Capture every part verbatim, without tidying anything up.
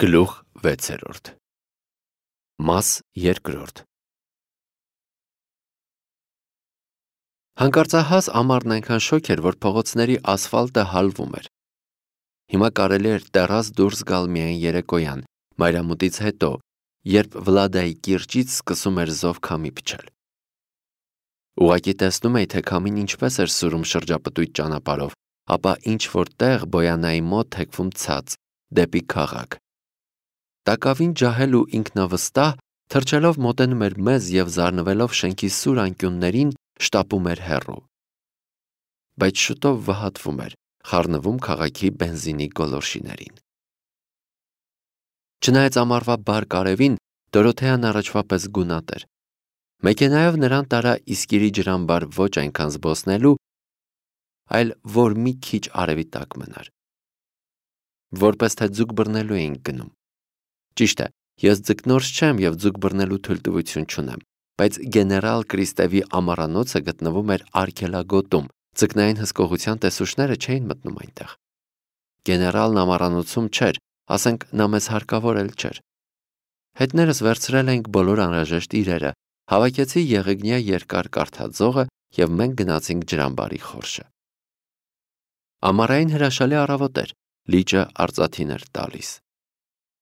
Գլուխ վեցերորդ Մաս երկրորդ Հանկարծահաս ամառն այնքան շոգ էր, որ փողոցների ասֆալտը հալվում էր։ Հիմա կարելի էր տեռաս դուրս գալ միայն երեկոյան, մայրամուտից հետո, երբ Վլադայի կիրճից սկսում էր զով քամի փչել։ Ուղղակի տեսնում էի, թե քամին ինչպես էր սուրում շրջապտույտ ճանապարհով, ապա ինչ-որ տեղ Բոյանայի մոտ թեքվում ցած, դեպի քաղաք։ Տակավին ջահել ու ինքնավստահ, թռչելով մոտենում էր մեզ և զարնվելով շենքի սուր անկյուններին, շտապում էր հեռու։ Բայց շուտով վհատվում էր, խառնվում քաղաքի բենզինի գոլորշիներին։ Չնայած ամառվա բարդ արևին, Դորոթեան առաջվա պես գունատ էր։ Մեքենայով նրան տարա Իսկիրի ջրամբար ոչ այնքան զբոսնելու, այլ որ մի քիչ արևի տակ մնար։ Որպես թե ձուկ բռնելու էինք գնում։ Ճիշտ է, ես ձկնորս չեմ և ձուկ բռնելու թույլտվություն չունեմ, բայց գեներալ Կրիստևի ամառանոցը գտնվում էր արգելագոտում, ձկնային հսկողության տեսուչները չէին մտնում այնտեղ։ Գեներալն ամառանոցում չէր, ասենք նա մեզ հարկավոր էլ չէր։ Հետներս վերցրել էինք բոլոր անհրաժեշտ իրերը, հավաքեցի եղեգնյա երկար կարթաձողը և մենք գնացինք ջրամբարի խորշը։ Ամառային հրաշալի առավոտ էր, լիճը արծաթին էր տալիս։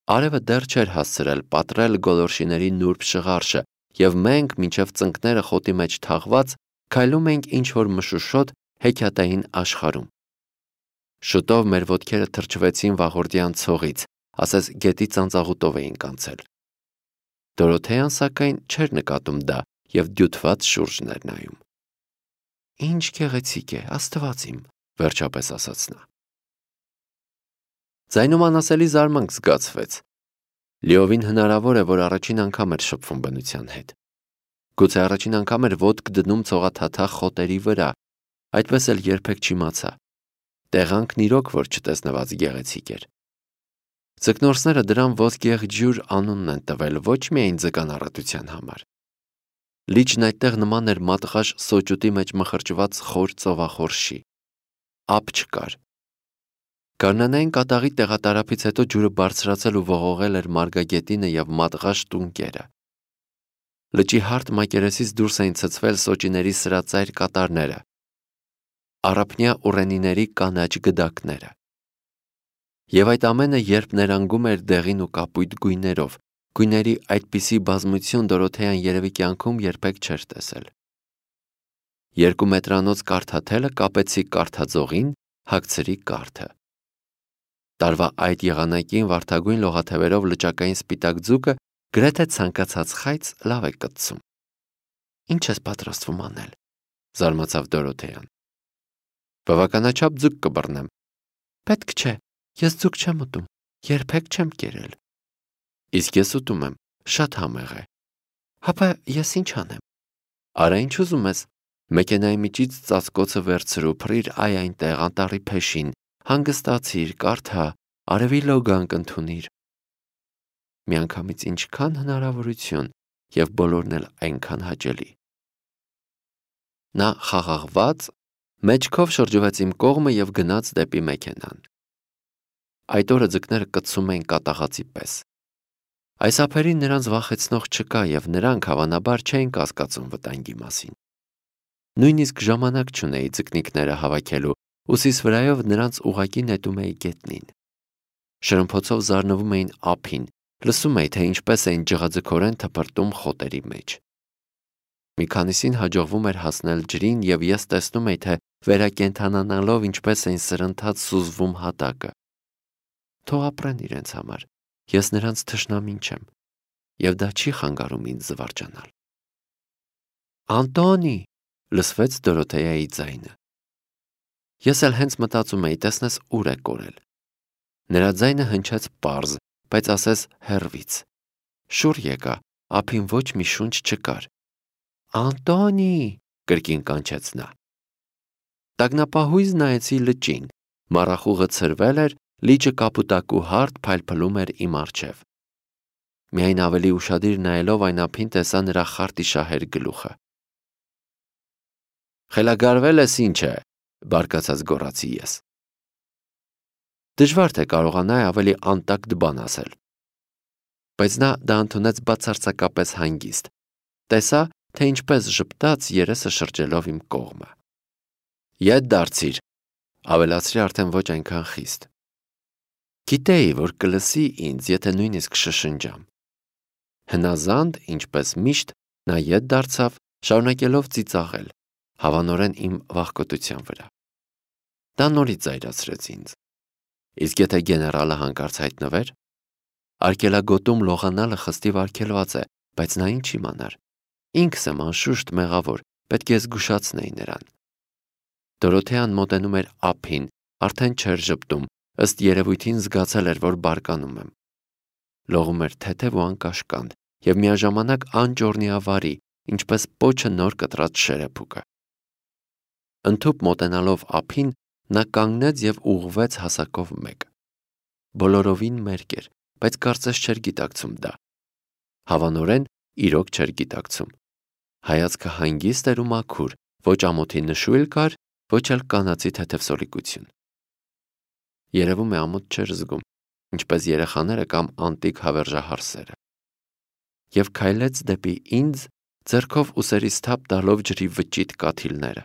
Արևը դեռ չէր հասցրել պատռել գոլորշիների նուրբ շղարշը, և մենք, մինչև ծնկները խոտի մեջ թաղված, քայլում էինք ինչ-որ մշուշոտ հեքիաթային աշխարհում։ Շուտով մեր ոտքերը թրջվեցին վաղորդյան ցողից, ասես գետի ծանծաղուտով էինք անցել։ Դորոթեան, սակայն, չէր նկատում դա և դյութված շուրջն էր նայում։ «Ինչ գեղեցիկ է, Աստված իմ», վերջապես ասաց նա։ Ձայնում անասելի զարմանք զգացվեց։ Լիովին հնարավոր է, որ առաջին անգամ էր շփվում բնության հետ։ Գուցե առաջին անգամ էր ոտք դնում ցողաթաթախ խոտերի վրա, այդպես էլ երբեք չիմացա։ Տեղանքն իրոք որ չտեսնված գեղեցիկ էր։ Ձկնորսները դրան ոսկեղջյուր անունն են տվել ոչ միայն ձկանառատության համար։ Լիճն այդտեղ նման էր մատղաշ սոճուտի մեջ մխրճված խոր ծովախորշի։ Ափ չկար։ Գարնանային կատաղի տեղատարափից հետո ջուրը բարձրացել ու ողողել էր մարգագետինը և մատղաշ տունկերը։ Լճի հարթ մակերեսից դուրս էին ցցվել սոճիների սրածայր կատարները, առափնյա ուռենիների կանաչ գդակները։ Եվ այդ ամենը, երբ ներանգում էր դեղին ու կապույտ գույներով, գույների այդպիսի բազմություն Դորոթեան երևի կյանքում երբեք չէր տեսել։ Երկու մետրանոց կարթաթելը կապեցի կարթաձողին, հագցրի կարթը։ Տարվա այդ եղանակին վարդագույն լողաթևերով լճակային սպիտակ ձուկը գրեթե ցանկացած խայծ լավ է կտցում։ «Ինչ ես պատրաստվում անել», զարմացավ Դորոթեան։ «Բավականաչափ ձուկ կբռնեմ»։ «Պետք չէ, ես ձուկ չեմ ուտում, երբեք չեմ կերել»։ «Իսկ ես ուտում եմ, շատ համեղ է»։ «Հապա ես ինչ անեմ»։ «Արա ինչ ուզում ես, մեքենայի միջից ծածկոցը վերցրու, փռիր այ այնտեղ անտառի փեշին, հանգստացիր, կարդա, արևի լոգանք ընդունիր»։ Միանգամից ինչքան հնարավորություն և բոլորն էլ այնքան հաճելի։ Նա խաղաղված մեջքով շրջվեց իմ կողմը և գնաց դեպի մեքենան։ Այդ օրը ձկները կծում էին կատաղածի պես։ Այս ափերին նրանց վախեցնող չկա և նրանք հավանաբար չէին կասկածում վտանգի մասին։ Նույնիսկ ժամանակ չունեի ձկնիկները հավաքելու, ուսիս վրայով նրանց ուղղակի նետում էի գետնին։ Շրմփոցով զարնվում էին ափին, լսում էի, թե ինչպես էին ջղաձգորեն թփրտում խոտերի մեջ։ Մի քանիսին հաջողվում էր հասնել ջրին և ես տեսնում էի, թե վերակենդանանալով ինչպես էին սրընթաց սուզվում հատակը։ Թող ապրեն իրենց համար, ես նրանց թշնամին չեմ, և դա չի խանգարում ինձ զվարճանալ։ «Անտոնի», լսվեց Դորոթեայի ձայնը։ Ես էլ հենց մտածում էի, տեսնես ուր է կորել։ Նրա ձայնը հնչեց պարզ, բայց ասես հեռվից։ Շուռ եկա, ափին ոչ մի շունչ չկար։ «Անտոնի», կրկին կանչեց նա։ Տագնապահույզ նայեցի լճին, մառախուղը ցրվել էր, լիճը կապուտակու հարթ փայլփլում էր իմ առջև։ Միայն ավելի ուշադիր նայելով այն ափին տեսա նրա խարտիշահեր գլուխը։ «Խելագարվել ես ինչ է», բարկացած գոռացի ես։ Դժվար թե կարողանայի ավելի անտակտ բան ասել, բայց նա դա ընդունեց բացարձակապես հանգիստ։ Տեսա, թե ինչպես ժպտաց երեսը շրջելով իմ կողմը։ Ետ դարձիր, ավելացրի արդեն ոչ այնքան խիստ։ Գիտեի, որ կլսի ինձ, եթե նույնիսկ շշնջամ։ Հնազանդ, ինչպես միշտ, նա ետ դարձավ, շարունակելով ծիծաղել, հավանորեն իմ վախկոտության վրա։ Դա նորից զայրացրեց ինձ։ Իսկ եթե գեներալը հանկարծ հայտնվեր, արգելագոտում լողանալը խստիվ արգելված է, բայց նա ինչ իմանար։ Ինքս եմ անշուշտ մեղավոր, պետք է զգուշացնեի նրան։ Դորոթեան մոտենում էր ափին, արդեն չէր ժպտում, ըստ երևույթին զգացել էր, որ բարկանում եմ։ Լողում էր թեթև ու անկաշկանդ և միաժամանակ անճոռնիավարի, ինչպես պոչը նոր կտրած շերեփուկը։ Ընդհուպ մոտենալով ափին, նա կանգնեց և ուղղվեց հասակով մեկ։ Բոլորովին մերկ էր, բայց կարծես չէր գիտակցում դա։ Հավանորեն իրոք չէր գիտակցում։ Հայացքը հանգիստ էր ու մաքուր, ոչ ամոթի նշույլ կար, ոչ էլ կանացի թեթև սորիկություն։ Երևում է ամոթ չէր զգում, ինչպես երեխաները կամ անտիկ հավերժահարսերը։ Եվ քայլեց դեպի ինձ, ձեռքով ուսերից թափ տալով ջրի վճիտ կաթիլները։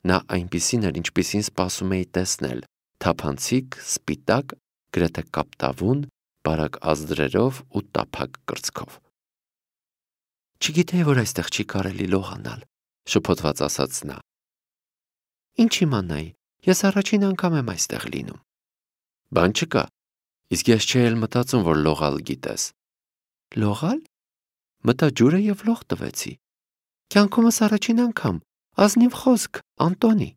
Նա այնպիսին էր, ինչպիսին սպասում էի տեսնել, թափանցիկ, սպիտակ, գրեթե կապտավուն, բարակ ազդրերով ու տափակ կրծքով։ Չգիտեի, որ այստեղ չի կարելի լողանալ, շփոթված ասաց նա։ Ինչ իմանայի, ես առաջին անգամ եմ այստեղ լինում։ Բան չկա, իսկ ես չէի էլ մտածում, որ լողալ գիտես։ Լողալ։ Մտա ջուրը և լող տվեցի։ Կյանքումս առաջին անգամ, ազնիվ խոսք, Անտոնի։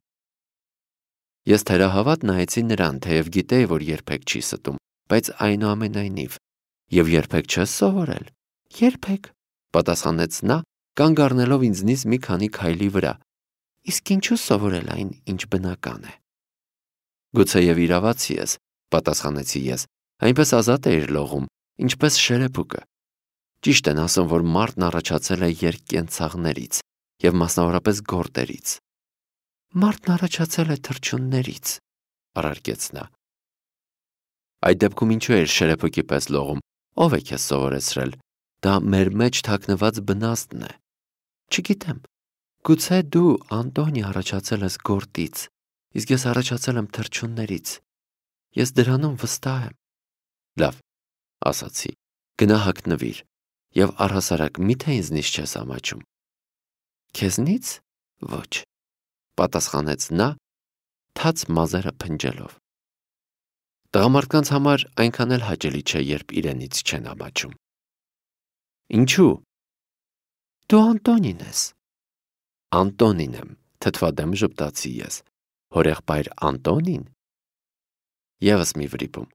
Ես թերահավատ նայեցի նրան, թեև գիտեի, որ երբեք չի ստում, բայց այնուամենայնիվ, և երբեք չես սովորել։ Երբեք, պատասխանեց նա, կանգ առնելով ինձնից մի քանի քայլի վրա։ Իսկ ինչու սովորել այն, ինչ բնական է։ Գուցեև իրավացի ես, պատասխանեցի ես, այնպես ազատ էիր լողում, ինչպես շերեփուկը։ Ճիշտ են ասում, որ մարդն առաջացել է երկկենցաղներից և մասնավորապես գորտերից։ Մարդն առաջացել է թռչուններից, առարկեց նա։ Այդ դեպքում ինչու էր շերեփուկի պես լողում, ով է քեզ սովորեցրել։ Դա մեր մեջ թաքնված բնաստն է։ Չգիտեմ, գուցե դու, Անտոնի, առաջացել ես գորտից, իսկ ես առաջացել եմ թռչուններից։ Ես դրանում վստահ եմ։ Լավ, ասացի, գնա հագնվիր, և առհասարակ միթե ինձնից չես ամաչում։ Քեզնից ոչ, պատասխանեց նա, թաց մազերը փնջելով։ Տղամարդկանց համար այնքան էլ հաճելի չէ, երբ իրենից չեն ամաչում։ Ինչու։ Դու Անտոնին ես։ Անտոնին եմ, թթվադեմ ժպտացի ես։ Հորեղբայր Անտոնին։ Եվս մի վրիպում։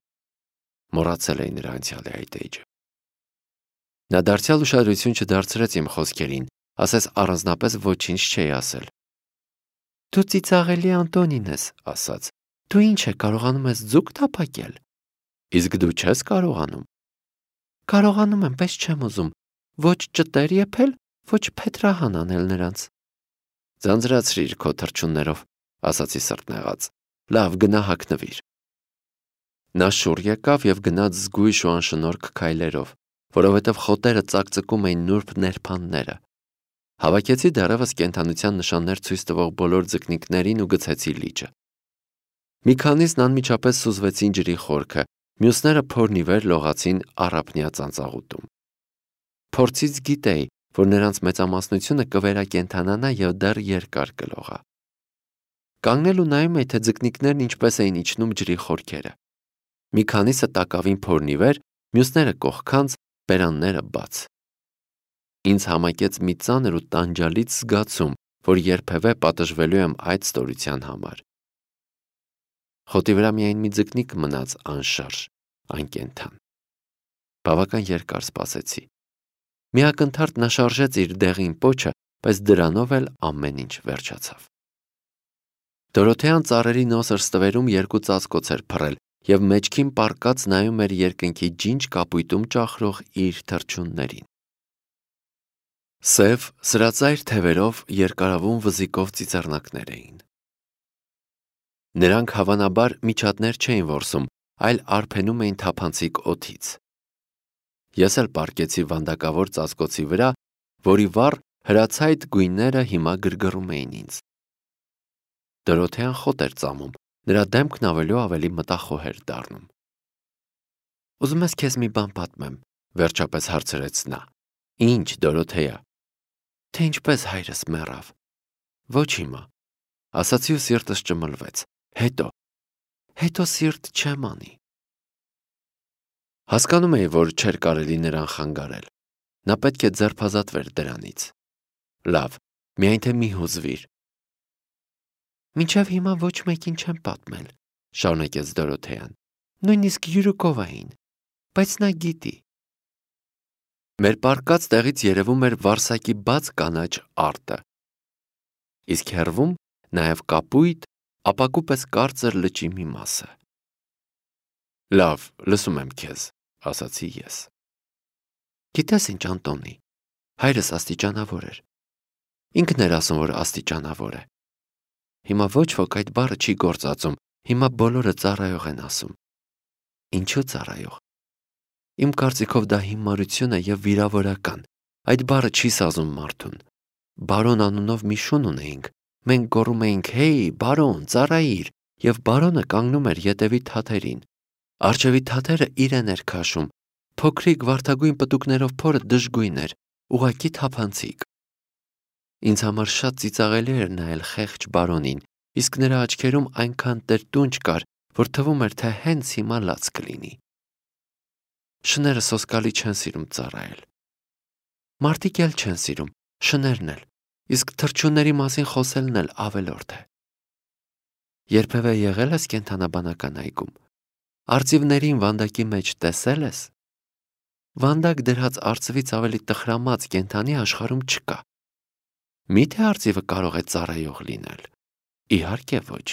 Մոռացել էի նրա անցյալի այդ էջը։ Նա դարձյալ ուշադրություն չդարձրեց իմ խոսքերին, ասես առանձնապես ոչինչ չէի ասել։ Դու ծիծաղելի Անտոնին ես, ասաց։ Դու ինչ է, կարողանում ես ձուկ թափակել։ Իսկ դու չես կարողանում։ Կարողանում եմ, բայց չեմ ուզում ոչ ճտեր եփել, ոչ փետրահան անել նրանց։ Ձանձրացրիր քո թռչուններով, ասացի սրտնեղած։ Լավ, գնա հագնվիր։ Նա շուռ եկավ և գնաց զգույշ ու անշնորհք քայլերով, որովհետև խոտերը ծակծկում էին նուրբ ներփանները։ Հավաքեցի դեռևս կենդանության նշաններ ցույց տվող բոլոր ձկնիկներին ու գցեցի լիճը։ Մի քանիսն անմիջապես սուզվեցին ջրի խորքը, մյուսները փորն ի վեր լողացին առափնյա ծանծաղուտում։ Փորձից գիտեի, որ նրանց մեծամասնությունը կվերակենդանանա և դեռ երկար կլողա։ Կանգնել ու նայում էի, թե ձկնիկներն ինչպես էին իջնում ջրի խորքերը։ Մի քանիսը տակավին փորն ի վեր, մյուսները կողքանց, բերանները բաց։ Ինձ համակեց մի ծանր ու տանջալից զգացում, որ երբևէ պատժվելու եմ այդ ստորության համար։ Խոտի վրա միայն մի ձկնիկ մնաց անշարժ, անկենդան։ Բավական երկար սպասեցի։ Մի ակնթարթ նա շարժեց իր դեղին պոչը, բայց դրանով էլ ամեն ինչ վերջացավ։ Դորոթեան ծառերի նոսր ստվերում երկու ծածկոց էր փռել և մեջքին պառկած նայում էր երկնքի ջինջ կապույտում ճախրող իր թռչուններին։ Սև, սրածայր թևերով երկարավուն վզիկով ծիծեռնակներ էին։ Նրանք հավանաբար միջատներ չէին որսում, այլ արփենում էին թափանցիկ օդից։ Ես էլ պառկեցի վանդակավոր ծածկոցի վրա, որի վառ հրացայտ գույները հիմա գրգռում էին ինձ։ Դորոթեան խոտ էր ծամում, նրա դեմքն ավելի ու ավելի մտախոհ էր դառնում։ Ուզում ես քեզ մի բան պատմեմ, վերջապես հարցրեց նա։ Ինչ, Դորոթեա։ Թե ինչպես հայրս մեռավ։ Ոչ հիմա, ասացի ու սիրտս ճմլվեց։ Հետո, հետո սիրտ չեմ անի։ Հասկանում էի, որ չէր կարելի նրան խանգարել։ Նա պետք է ձերբազատվեր դրանից։ Լավ, միայն թե մի հուզվիր։ Մինչև հիմա ոչ մեկին չեմ պատմել, շարունակեց Դորոթեան։ Նույնիսկ Յուրուկովային, բայց նա գիտի։ Մեր պառկած տեղից երևում էր Վարսակի բաց կանաչ արտը։ Իսկ հեռվում նաև կապույտ, ապակու պես կարծր լճի մի մասը։ Լավ, լսում եմ քեզ, ասացի ես։ Գիտես ինչ, Անտոնի, հայրս աստիճանավոր էր։ Ինքն էր ասում, որ աստիճանավոր է։ Հիմա ոչ ոք այդ բառը չի գործածում, հիմա բոլորը ծառայող են ասում։ Ինչու ծառայող։ Իմ կարծիքով դա հիմարություն է և վիրավորական, այդ բառը չի սազում մարդուն։ Բարոն անունով մի շուն ունեինք, մենք գոռում էինք «Հեյ, բարոն, ծառայիր», և բարոնը կանգնում էր ետևի թաթերին։ Առջևի թաթերը իրեն էր քաշում, փոքրիկ վարդագույն պտուկներով փորը դժգույն էր, ուղղակի թափանցիկ։ Ինձ համար շատ ծիծաղելի էր նայել խեղճ բարոնին, իսկ նրա աչքերում այնքան տրտունջ կար, որ թվում էր, թե հենց հիմա լաց կլինի։ Շները սոսկալի չեն սիրում ծառայել։ Մարդիկ էլ չեն սիրում, շներն էլ, իսկ թռչունների մասին խոսելն էլ ավելորդ է։ Երբևէ եղել ես կենդանաբանական այգում։ Արծիվներին վանդակի մեջ տեսել ես։ Վանդակ դրած արծվից ավելի տխրամած կենդանի աշխարհում չկա։ Միթե արծիվը կարող է ծառայող լինել։ Իհարկե ոչ։